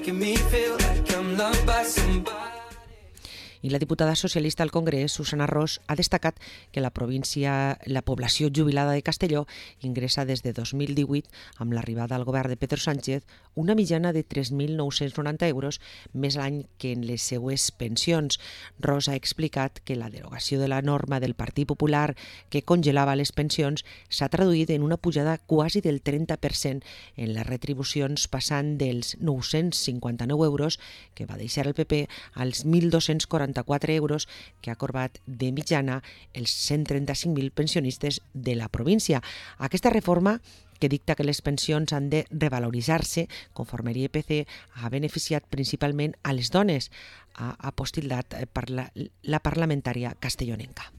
making me feel like I'm loved by somebody. I la diputada socialista al Congrés, Susana Ros, ha destacat que la població jubilada de Castelló ingressa des de 2018, amb l'arribada al govern de Pedro Sánchez, una mitjana de 3.990 euros més l'any que en les seues pensions. Ros ha explicat que la derogació de la norma del Partit Popular que congelava les pensions s'ha traduït en una pujada quasi del 30% en les retribucions, passant dels 959 euros que va deixar el PP als 1.244 euros que ha corbat de mitjana els 135.000 pensionistes de la província. Aquesta reforma, que dicta que les pensions han de revaloritzar-se conforme l'IPC, ha beneficiat principalment a les dones, ha apostillat per la parlamentària castellonenca.